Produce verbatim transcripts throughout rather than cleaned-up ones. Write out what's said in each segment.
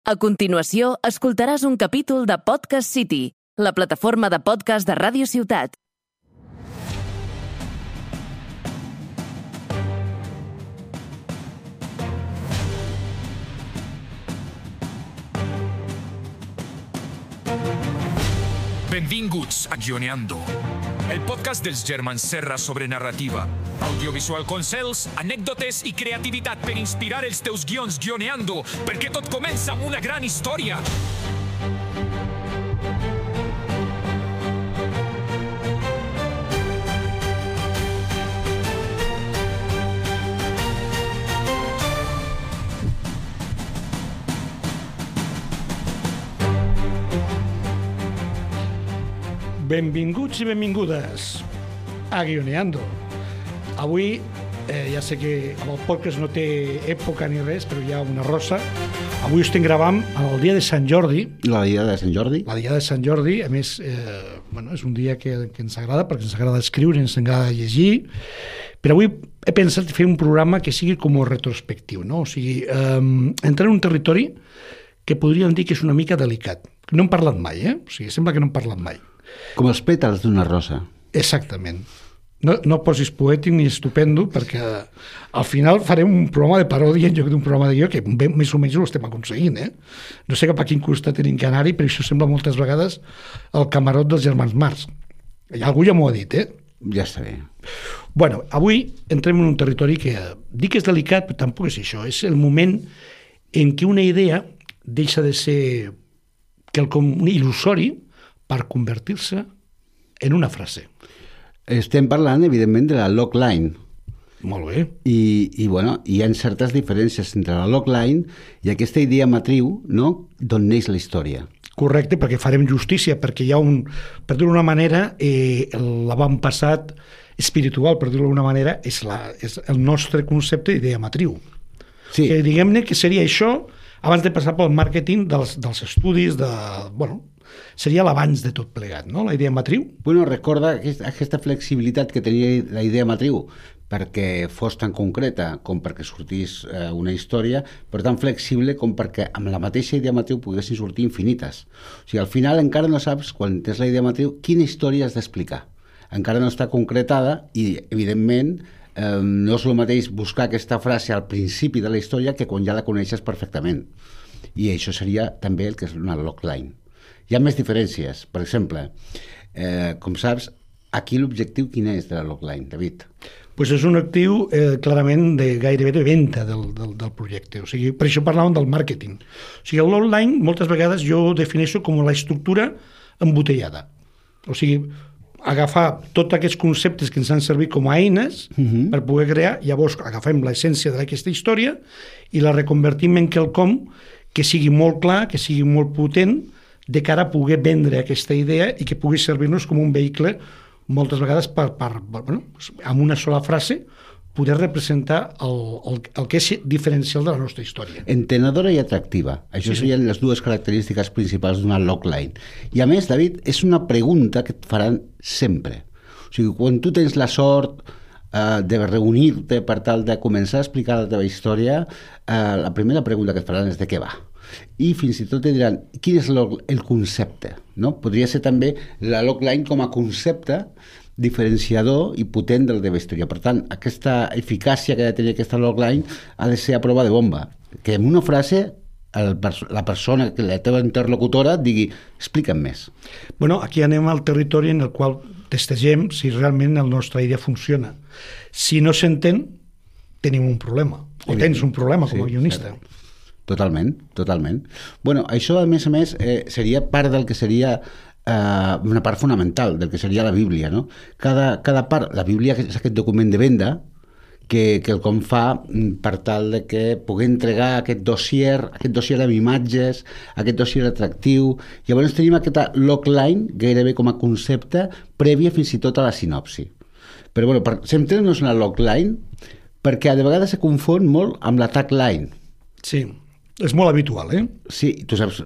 A continuació, escoltaràs un capítol de Podcast City, la plataforma de podcast de Ràdio Ciutat. Benvinguts a Guioneando, el podcast dels germans Serra sobre narrativa, audiovisual consells, anècdotes i creativitat per inspirar els teus guions guioneando, perquè tot comença amb una gran història. Benvinguts i benvingudes a Guioneando. Avui, eh, ja sé que amb el podcast no té època ni res, però hi ha una rosa. Avui estem gravant el dia de Sant Jordi. La dia de Sant Jordi? La dia de Sant Jordi. A més, eh, bueno, és un dia que, que ens agrada, perquè ens agrada escriure, ens agrada llegir. Però avui he pensat fer un programa que sigui com retrospectiu, no? O sigui, eh, entrar en un territori que podríem dir que és una mica delicat. No hem parlat mai, eh? O sigui, sembla que no hem parlat mai. Com els pètals d'una rosa. Exactament. No, no posis poètic ni estupendo, perquè al final farem un programa de paròdia en lloc d'un programa de guió, que bé, més o menys ho estem aconseguint, eh? No sé cap a quin costat tenim que anar-hi, però això sembla moltes vegades el camarot dels germans Marx. Algú ja m'ho ha dit, eh? Ja està bé. Bueno, avui entrem en un territori que dic que és delicat, però tampoc és això. És el moment en què una idea deixa de ser quelcom il·lusori per convertir-se en una frase. Estem parlant, evidentment, de la logline. Molt bé. I, i bueno, hi ha certes diferències entre la logline i aquesta idea matriu, no?, d'on neix la història. Correcte, perquè farem justícia, perquè hi ha un, per dir-ho d'una manera, eh, l'avantpassat espiritual, per dir-ho d'una manera, és, la, és el nostre concepte d'idea matriu. Sí. Que diguem-ne que seria això abans de passar pel màrqueting dels, dels estudis, de, bueno, seria l'abans de tot plegat, no?, la idea matriu. Bueno, recorda aquesta flexibilitat que tenia la idea matriu perquè fos tan concreta com perquè sortís eh, una història, però tan flexible com perquè amb la mateixa idea matriu poguessin sortir infinites. O sigui, al final encara no saps, quan tens la idea matriu, quina història has d'explicar. Encara no està concretada i, evidentment, eh, no és el mateix buscar aquesta frase al principi de la història que quan ja la coneixes perfectament. I això seria també el que és una logline. Hi ha més diferències. Per exemple, eh, com saps, aquí l'objectiu quin és de la logline, David? Pues és un actiu eh, clarament de gairebé de venda del, del, del projecte. O sigui, per això parlàvem del màrqueting. O sigui, el logline moltes vegades jo ho defineixo com la estructura embotellada. O sigui, agafar tots aquests conceptes que ens han servit com a eines uh-huh. per poder crear, llavors agafem l'essència d'aquesta història i la reconvertim en quelcom que sigui molt clar, que sigui molt potent, de cara a poder vendre aquesta idea i que pugui servir-nos com un vehicle moltes vegades per, per, bueno, amb una sola frase poder representar el, el, el que és diferencial de la nostra història. Entenedora i atractiva. Això sí, serien sí. les dues característiques principals d'una logline. I a més, David, és una pregunta que et faran sempre. O sigui, quan tu tens la sort eh, de reunir-te per tal de començar a explicar la teva història, eh, la primera pregunta que et faran és de què va. I fins i tot et diran quin és el concepte, no? Podria ser també la logline com a concepte diferenciador i potent de la teva història. Per tant, aquesta eficàcia que ha de tenir aquesta logline ha de ser a prova de bomba, que en una frase el, la persona, la teva interlocutora digui, explica'm més. Bueno, aquí anem al territori en el qual testegem si realment la nostra idea funciona. Si no s'entén, tenim un problema, o tens un problema com a guionista. Sí, Totalment, totalment. Bueno, això, a més a més, eh, seria part del que seria eh, una part fonamental del que seria la Bíblia, no? Cada, cada part, la Bíblia és aquest document de venda que, que el com fa per tal de que pugui entregar aquest dossier, aquest dossier amb imatges, aquest dossier atractiu. Llavors tenim aquesta logline gairebé com a concepte prèvia fins i tot a la sinopsi. Però bueno, per, centrem-nos en la logline perquè de vegades se confon molt amb la tagline. Sí. És molt habitual, eh? Sí, tu saps,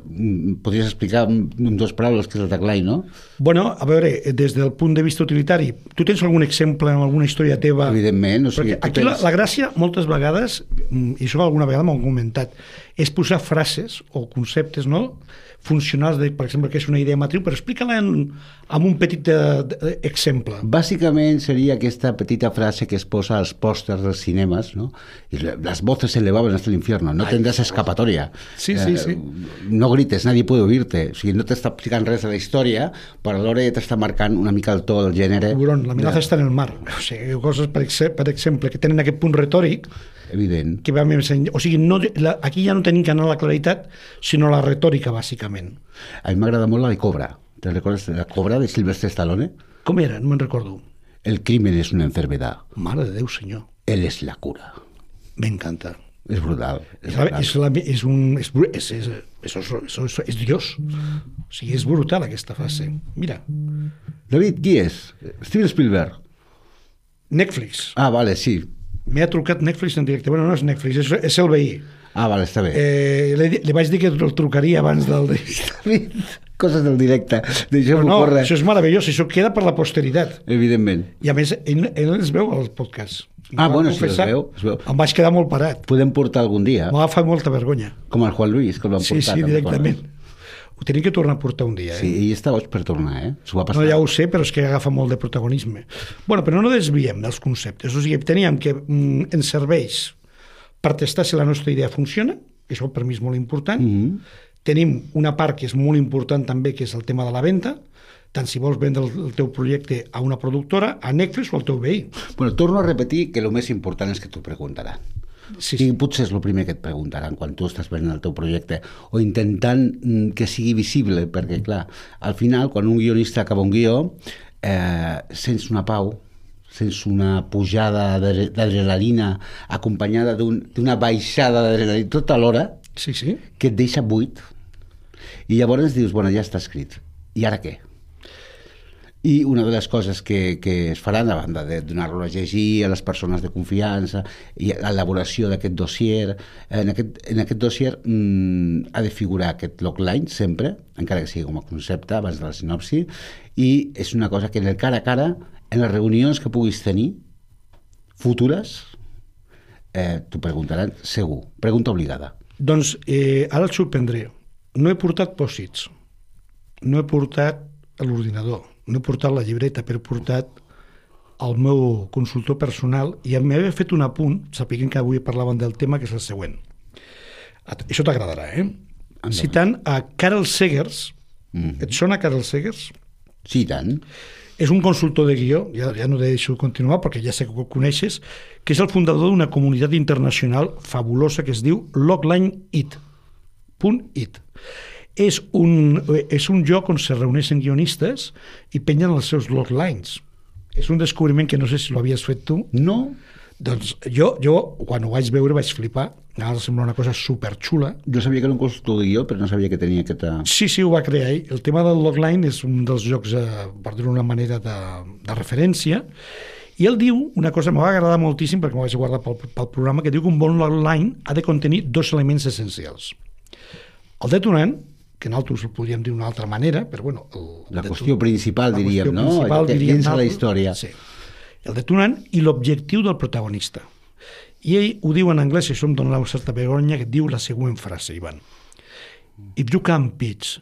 podries explicar en dues paraules què és el tagline, no? Bueno, a veure, des del punt de vista utilitari, tu tens algun exemple en alguna història teva? Evidentment. O sigui, perquè aquí tens... la, la gràcia, moltes vegades, i això alguna vegada m'ho han comentat, és posar frases o conceptes, no?, funcionals, de, per exemple, que és una idea matriu, però explica-la en, en un petit de, de, exemple. Bàsicament seria aquesta petita frase que es posa als pòsters dels cinemes, no? I les voces se elevaven hasta el infierno, no tendrás escapatoria. Sí, sí, sí. Eh, no grites, nadie puede oírte. O sigui, no t'està explicant res de la història, però alhora t'està marcant una mica el to, el gènere. Tiburón, l'amenaça de... està en el mar. O sigui, coses, per, per exemple, que tenen aquest punt retòric, evident. Que va més enllà. O sigui, no, la, aquí ja no tenim que anar a la claritat, sinó la retòrica, bàsicament. A mi m'agrada molt la de Cobra. Te recordes de la Cobra de Sylvester Stallone? Com era? No me'n recordo. El crimen es una enfermedad. Mare de Déu, senyor. Él es la cura. M'encanta. És brutal. És, és, la, és, la, és un... És, és, és, és, és, és, és Dios. O sigui, és brutal aquesta fase. Mira. David, qui és? Steven Spielberg. Netflix. Ah, vale, sí. M'ha trucat Netflix en directe. Bueno, no és Netflix, és, és el veí. Ah, vale, està bé. Eh, li, li vaig dir que el trucaria abans del... Coses del directe. Però no, corre. Això és meravellós, això queda per la posteritat. Evidentment. I a més, ell, ell els veu als podcasts. Ah, bueno, sí, els veu, els veu. Em vaig quedar molt parat. Podem portar algun dia. M'ha fa molta vergonya. Com el Juan Luis, que el van sí, portar. Sí, sí, directament. Ho tenim que tornar a portar un dia. Eh? Sí, ell està boig per tornar, eh? S'ho va passar. No, ja ho sé, però és que agafa molt de protagonisme. Bueno, però no desviem dels conceptes. O sigui, teníem que mm, ens serveix per testar si la nostra idea funciona, que això per mi és molt important. Mm-hmm. Tenim una part que és molt important també, que és el tema de la venda, tant si vols vendre el teu projecte a una productora, a Netflix o al teu veí. Bueno, torno a repetir que el més important és que t'ho preguntaran. Sí, sí. I potser és el primer que et preguntaran quan tu estàs venent el teu projecte, o intentant que sigui visible, perquè, clar, al final, quan un guionista acaba un guió, eh, sents una pau, sents una pujada d'adrenalina acompanyada d'una baixada d'adrenalina tota l'hora, sí, sí. que et deixa buit. I llavors dius, bueno, ja està escrit. I ara què? I una de les coses que, que es faran, a banda de donar-lo a llegir a les persones de confiança i l'elaboració d'aquest dossier, en aquest, en aquest dossier mmm, ha de figurar aquest logline sempre, encara que sigui com a concepte abans de la sinopsi, i és una cosa que en el cara a cara, en les reunions que puguis tenir futures, eh, t'ho preguntaran segur. Pregunta obligada. Doncs eh, ara et sorprendré. No he portat pòssits, no he portat l'ordinador, no he portat la llibreta, però he portat el meu consultor personal i m'havia fet un apunt, sapiguem que avui parlàvem del tema, que és el següent. Això t'agradarà, eh? Endavant. Citant a Carl Segers. Mm. Et sona Carl Segers? Sí, tant. És un consultor de guió, ja, ja no deixo continuar perquè ja sé que ho coneixes, que és el fundador d'una comunitat internacional fabulosa que es diu Logline It. Punt It. És un, és un lloc on se reuneixen guionistes i pengen els seus loglines. És un descobriment que no sé si l'havies fet tu. No. Doncs jo, jo quan ho vaig veure, vaig flipar. Ara sembla una cosa superxula. Jo sabia que era un consultor de guió, però no sabia que tenia aquesta... Sí, sí, ho va crear ell. El tema del logline és un dels jocs, eh, per dir-ho d'una manera, de, de referència. I ell diu una cosa que m'ha agradat moltíssim, perquè m'ho vaig guardar pel, pel programa, que diu que un bon logline ha de contenir dos elements essencials. El detonant, que nosaltres el podríem dir d'una altra manera, però bueno... El, la qüestió principal, la diríem, qüestió no? Principal, diríem, dins la història. Sí. El detonant i l'objectiu del protagonista. I ell ho diu en anglès, i això em dona una certa vergonya, que diu la següent frase, Ivan. If you can pitch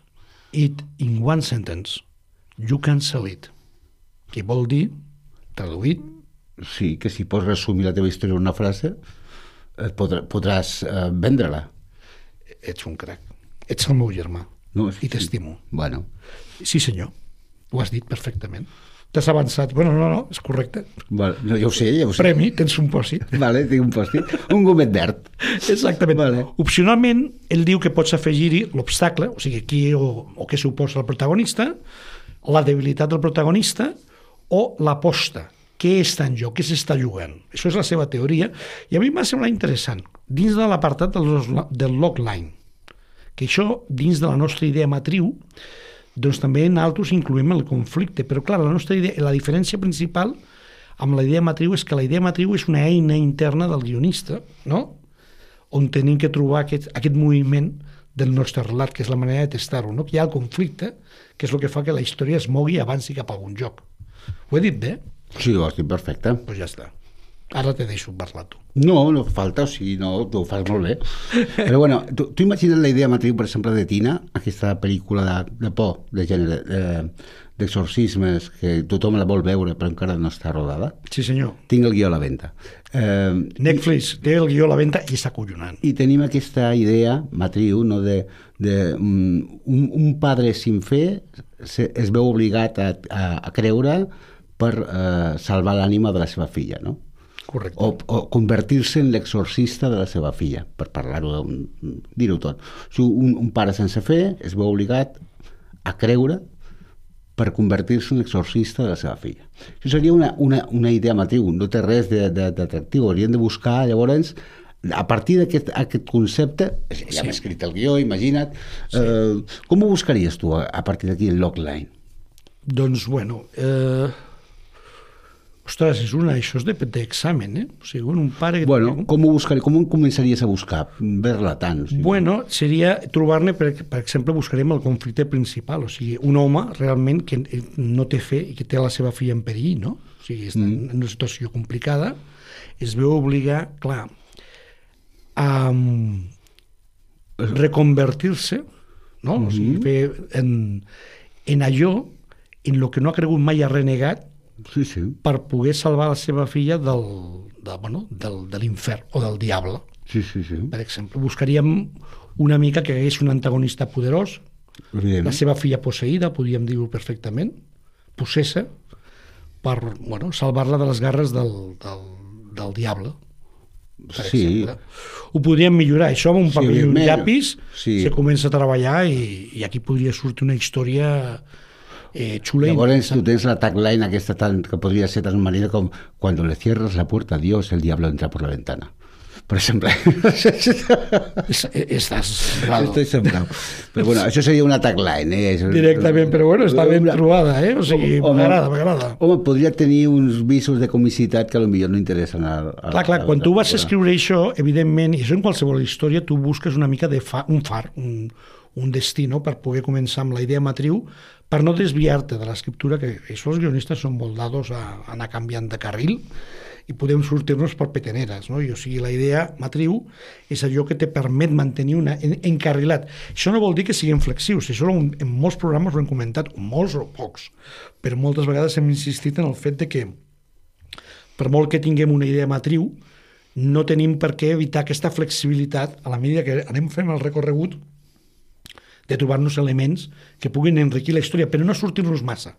it in one sentence, you can sell it. Que vol dir, traduït... Sí, que si pots resumir la teva història en una frase, podrà, podràs eh, vendre-la. Ets un crac. Ets el meu germà, no, i t'estimo. Bueno. Sí, senyor, ho has dit perfectament. T'has avançat. Bueno, no, no, és correcte. Vale. No, ja ho sé, ja ho sé. Premi, tens un pòssit. Vale, tinc un pòssit. Un gomet verd. Exactament. Vale. Opcionalment, ell diu que pots afegir-hi l'obstacle, o sigui, qui o, o què suposa el protagonista, la debilitat del protagonista o l'aposta. Què està en joc? Què s'està jugant? Això és la seva teoria. I a mi m'ha semblat interessant. Dins de l'apartat del, del logline, que això, dins de la nostra idea matriu, doncs també nosaltres incloem el conflicte. Però, clar, la nostra idea, la diferència principal amb la idea matriu és que la idea matriu és una eina interna del guionista, no? On tenim que trobar aquest, aquest moviment del nostre relat, que és la manera de testar-ho, no? Que hi ha el conflicte, que és el que fa que la història es mogui i avanci cap a algun joc. Ho he dit bé? Sí, ho has dit perfecte. Doncs pues ja està. Ara te deixo parlar tu. No, no falta, o sigui, no, tu ho fas molt bé. Però bueno, tu, tu imagines la idea matriu, per exemple, de Tina, aquesta pel·lícula de, de por, de gènere, de, d'exorcismes, que tothom la vol veure però encara no està rodada. Sí, senyor. Tinc el guió a la venda. Eh, Netflix té el guió a la venda i està acollonant. I tenim aquesta idea matriu, no, de, de um, un, un padre sin fe se, es veu obligat a, a, a creure per uh, salvar l'ànima de la seva filla, no? Correcte. O, o convertir-se en l'exorcista de la seva filla, per parlar-ho, dir-ho tot. O sigui, un, un pare sense fe es veu obligat a creure per convertir-se en l'exorcista de la seva filla. Això seria una, una, una idea matriu, no té res d'atractiu. Hauríem de buscar, llavors, a partir d'aquest aquest concepte, ja sí. Hem escrit el guió, imagina't, sí. eh, com ho buscaries tu a, a partir d'aquí, el logline? Doncs, bueno... Eh... Ostres, és una, això és d'examen, eh? O sigui, un pare... Bueno, com ho buscaries, com ho començaries a buscar? Ver-la tant? O sigui. Bueno, seria trobar-ne, per, per exemple, buscarem el conflicte principal, o sigui, un home realment que no té fe i que té la seva filla en perill, no? O sigui, està mm. en una situació complicada, es veu obligar, clar, a reconvertir-se, no? Mm-hmm. O sigui, fer en, en allò en el que no ha cregut mai, ha renegat, sí, sí. per poder salvar la seva filla del, de, bueno, del, de l'infern o del diable. Sí, sí, sí. Per exemple, buscaríem una mica que hagués un antagonista poderós, la seva filla posseïda, podríem dir-ho perfectament, possessa, per bueno, salvar-la de les garres del, del, del diable. Per sí. exemple. Ho podríem millorar, això amb un paper i un llapis, sí. Se comença a treballar i, i aquí podria sortir una història... Eh, xula. Llavors tu tens la tagline aquesta tan, que podria ser tan manera com cuando le cierras la puerta a Dios el diablo entra por la ventana, per exemple. Estàs Estoy sembrado. Però bueno, això seria una tagline, eh? Directament, però bueno, està ben trobada, eh? O sigui, m'agrada, m'agrada. Home, podria tenir uns visos de comicitat que potser no interessen a... a clar, clar, a, quan tu vas a escriure això, evidentment, i això en qualsevol història, tu busques una mica de fa, un far, un, un destí, no?, per poder començar amb la idea matriu, per no desviar-te de l'escriptura, que això els guionistes són molt dados a anar canviant de carril i podem sortir-nos per peteneres, no? I, o sigui, la idea matriu és allò que te permet mantenir una en, encarrilat. Això no vol dir que siguin flexius, això en, en molts programes ho hem comentat, molts o pocs, però moltes vegades hem insistit en el fet de que per molt que tinguem una idea matriu, no tenim per què evitar aquesta flexibilitat a la medida que anem fent el recorregut de trobar-nos elements que puguin enriquir la història, però no sortir-nos massa,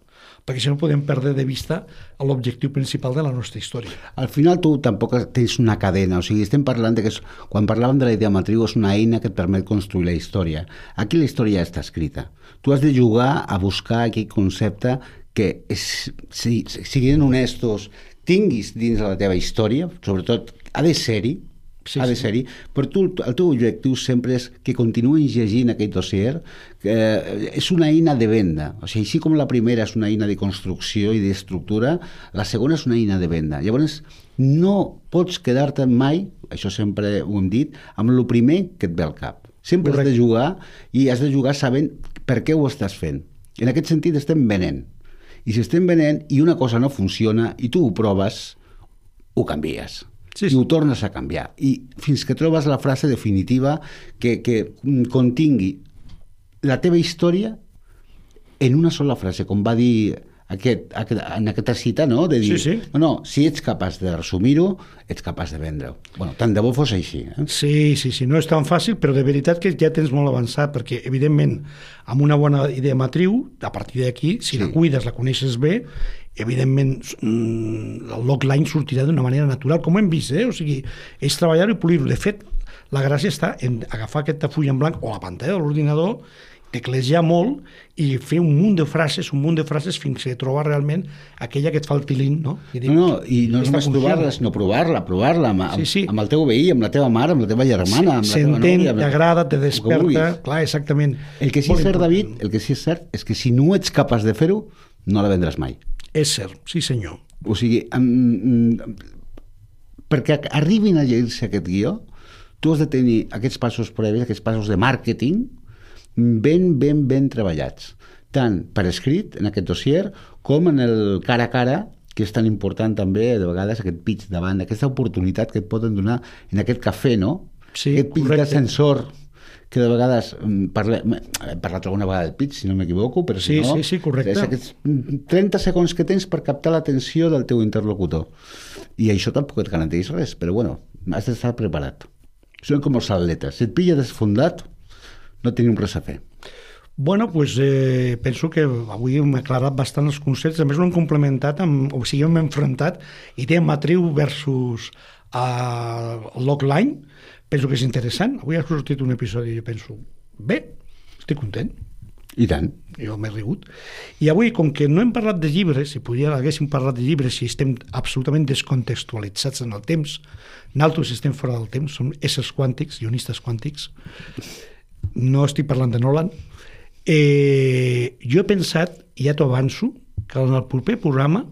perquè si no podem perdre de vista l'objectiu principal de la nostra història. Al final tu tampoc tens una cadena, o sigui, estem parlant de que és, quan parlàvem de la idea matriu és una eina que et permet construir la història. Aquí la història ja està escrita. Tu has de jugar a buscar aquell concepte que és, si, siguin honestos, tinguis dins de la teva història, sobretot ha de ser-hi, Sí, ha de ser-hi, però tu, el teu objectiu sempre és que continuïs llegint aquest dossier, que és una eina de venda, o sigui, així com la primera és una eina de construcció i d'estructura, la segona és una eina de venda. Llavors, no pots quedar-te mai, això sempre ho hem dit, amb el primer que et ve al cap. Sempre Correcte. Has de jugar i has de jugar sabent per què ho estàs fent. En aquest sentit estem venent. I si estem venent i una cosa no funciona i tu ho proves, ho canvies. Sí, sí. I ho tornes a canviar. I fins que trobes la frase definitiva que, que contingui la teva història en una sola frase, com va dir aquest, aquest, en aquesta cita, no? De dir, sí, sí. no, no, si ets capaç de resumir-ho, ets capaç de vendre-ho. Bueno, tant de bo fos així. Eh? Sí, sí, sí, no és tan fàcil, però de veritat que ja tens molt avançat, perquè, evidentment, amb una bona idea matriu, a partir d'aquí, si sí. la cuides, la coneixes bé, evidentment el logline sortirà d'una manera natural, com hem vist, eh? O sigui, és treballar-ho i polir-ho. De fet, la gràcia està en agafar aquesta full en blanc o la pantalla de l'ordinador, teclejar molt i fer un munt de frases, un munt de frases fins que trobar realment aquella que et fa el tilín, no? I dic, no, no, i no només trobar-la, sinó provar-la, provar-la amb, sí, sí. amb el teu veí, amb la teva mare, amb la teva germana, amb la teva nòvia. T'agrada, te desperta, clar, exactament. El que sí és cert, David, el que sí és cert és que si no ets capaç de fer-ho, no la vendràs mai. És cert, sí senyor. O sigui, um, perquè arribin a llegir-se aquest guió, tu has de tenir aquests passos previs, aquests passos de màrqueting, ben, ben, ben treballats, tant per escrit en aquest dossier com en el cara a cara que és tan important també, de vegades, aquest pitch davant, aquesta oportunitat que et poden donar en aquest cafè, no? Sí, aquest pitch correcte. d'ascensor, que de vegades, parle, he parlat alguna vegada del pitch, si no m'equivoco, però si Sí, no... sí, sí, correcte. És aquests trenta segons que tens per captar l'atenció del teu interlocutor. I això tampoc et garanteix res, però bueno, has d'estar preparat. Són com els atletes. Si et pilla desfondat, no tenim res a fer. Bueno, doncs eh, penso que avui hem aclarat bastant els conceptes, a més ho hem complementat, amb, o sigui, hem enfrontat idea matriu versus uh, logline. Penso que és interessant. Avui ha sortit un episodi i jo penso, bé, estic content. I tant. Jo m'he rigut. I avui, com que no hem parlat de llibres, si podia, haguéssim parlat de llibres, si estem absolutament descontextualitzats en el temps, nosaltres estem fora del temps, som éssers quàntics, ionistes quàntics, no estic parlant de Nolan. Eh, jo he pensat, i ja t'ho avanço, que en el proper programa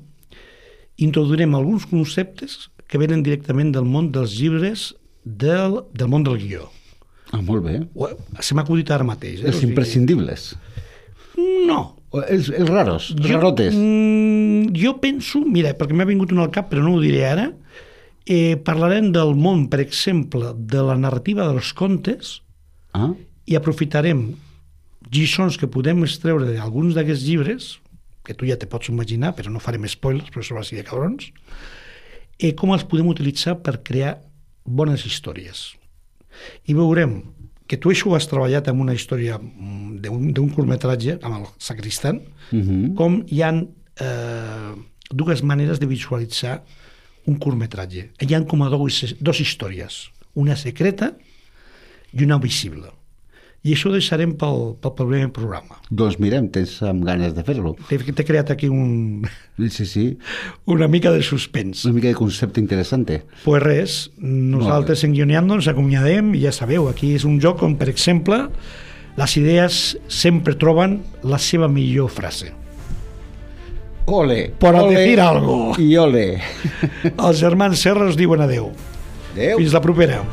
introduirem alguns conceptes que venen directament del món dels llibres del, del món del guió. Ah, molt bé. Se m'ha acudit ara mateix. Eh? Els imprescindibles. No. O els, els raros, els Jo, rarotes. mm, jo penso, mira, perquè m'ha vingut un al cap, però no ho diré ara, eh, parlarem del món, per exemple, de la narrativa dels contes, Ah, i aprofitarem lliçons que podem extreure d'alguns d'aquests llibres, que tu ja te pots imaginar, però no farem spoilers, però això va ser de cabrons, i com els podem utilitzar per crear bones històries. I veurem que tu això ho has treballat amb una història d'un, d'un curtmetratge, amb el Sacristan, uh -huh. com hi ha eh, dues maneres de visualitzar un curtmetratge. Hi ha com a dos, dos històries, una secreta i una visible. I això ho deixarem pel, pel primer programa. Doncs mirem, tens amb ganes de fer-lo. T'he, t'he creat aquí un, Sí, sí, una mica de suspens. una mica de concepte interessant. Pues res, nosaltres en Guioneando ens acomiadem i ja sabeu, aquí és un joc on, per exemple, les idees sempre troben la seva millor frase. Ole! Per a ole, decir algo. I ole! Els germans Serra us diuen adeu. Adeu! Fins la propera.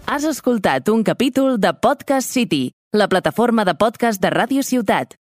Has escoltat un capítol de Podcast City, la plataforma de podcast de Ràdio Ciutat.